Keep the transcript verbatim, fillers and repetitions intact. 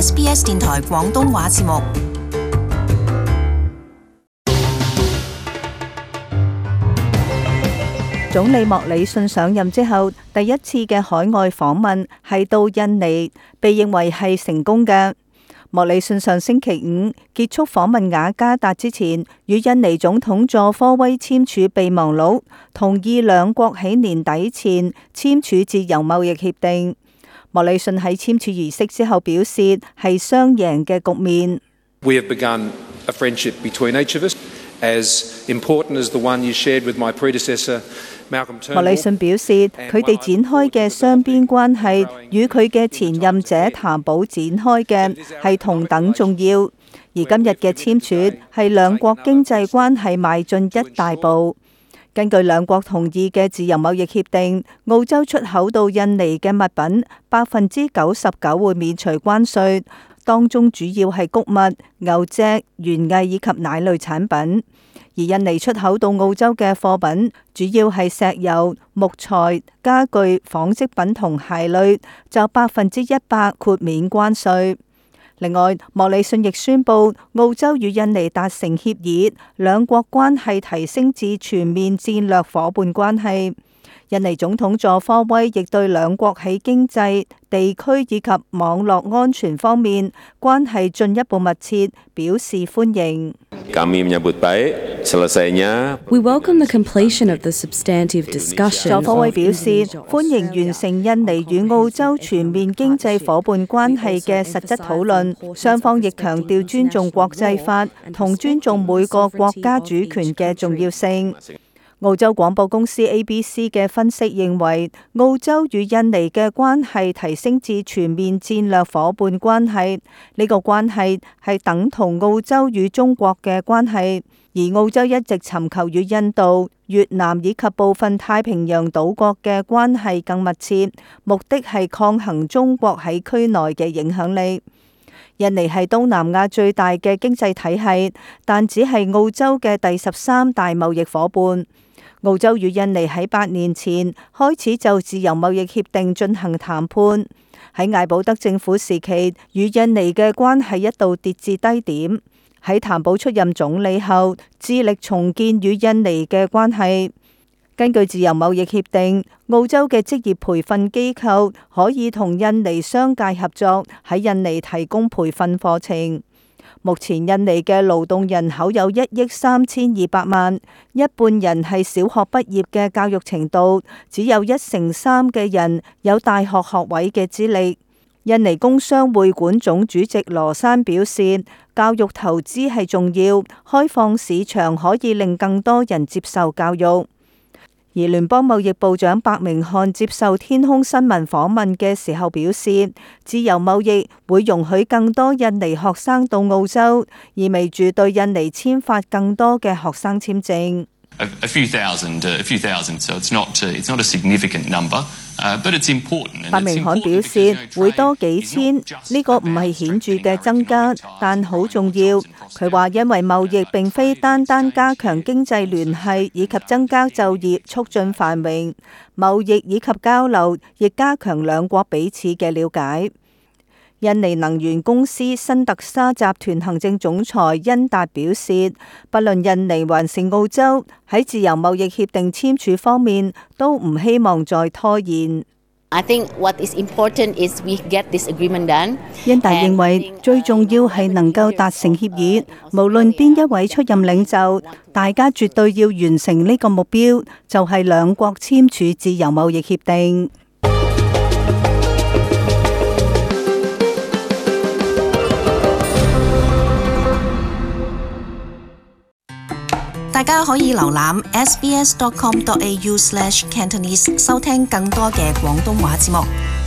S B S 電台廣東話節目。總理莫里遜上任之後，第一次嘅海外訪問係到印尼，被認為係成功嘅。莫里遜上星期五結束訪問雅加達之前，與印尼總統佐科威簽署備忘錄，同意兩國喺年底前簽署自由貿易協定。莫里遜喺簽署儀式之後表示，係雙贏嘅局面。We have begun a friendship between each of us, as important as the one you shared with my predecessor, Malcolm Turnbull. 莫里遜表示，佢哋展開嘅雙邊關係，與佢嘅前任者譚寶展開嘅係同等重要。而今日嘅簽署係兩國經濟關係邁進一大步。根據兩國同意嘅自由貿易協定，澳洲出口到印尼嘅物品百分之九十九會免除關稅，當中主要係穀物、牛隻、園藝以及奶類產品。而印尼出口到澳洲嘅貨品主要係石油、木材、家具、紡織品同鞋類，就百分之一百豁免關稅。另外，莫里遜亦宣布澳洲與印尼達成協議，兩國關係提升至全面戰略夥伴關係。印尼總統佐科威亦對兩國喺經濟、地區以及網絡安全方面關係進一步密切表示歡迎。Kami menyambut baik selesainya. We welcome the completion of the substantive discussion. 佐科威表示歡迎完成印尼與澳洲全面經濟夥伴關係嘅實質討論，雙方亦強調尊重國際法同尊重每個國家主權嘅重要性。澳洲廣播公司 A B C 嘅分析認為，澳洲與印尼嘅關係提升至全面戰略夥伴關係，呢個關係係等同澳洲與中國嘅關係，而澳洲一直尋求與印度、越南以及部分太平洋島國嘅關係更密切，目的係抗衡中國喺區內嘅影響力。印尼係東南亞最大嘅經濟體系，但只係澳洲嘅第十三大貿易夥伴。澳洲與印尼喺八年前開始就自由貿易協定進行談判，喺艾保德政府時期，與印尼嘅關係一度跌至低點。喺譚寶出任總理後，致力重建與印尼嘅關係。根據自由貿易協定，澳洲嘅職業培訓機構可以同印尼商界合作，喺印尼提供培訓課程。目前印尼嘅勞動人口有一億三千二百萬，一半人係小學畢業嘅教育程度，只有一成三嘅人有大學學位嘅資歷。印尼工商會館總主席羅山表示，教育投資係重要，開放市場可以令更多人接受教育。而聯邦貿易部長白明漢接受天空新聞訪問嘅時候表示，自由貿易會容許更多印尼學生到澳洲，意味住對印尼簽發更多嘅學生簽證。A, a few thousand, uh, a few thousand, so it's not, uh, it's not a significant number, uh, but it's important. 白明漢表示會多幾千，呢個唔係顯著嘅增加，但好重要。佢話因為貿易並非單單加強經濟聯繫以及增加就業、促進繁榮，貿易以及交流亦加強兩國彼此嘅了解。印尼能源公司新特沙集團行政總裁恩達表示，不論印尼還是澳洲喺自由貿易協定簽署方面，都唔希望再拖延。I think what is important is we get this agreement done. 恩達認為最重要係能夠達成協議，無論邊一位出任領袖，大家絕對要完成呢個目標，就係兩國簽署自由貿易協定。大家可以瀏覽 s b s dot com dot a u slash cantonese 收聽更多嘅廣東話節目。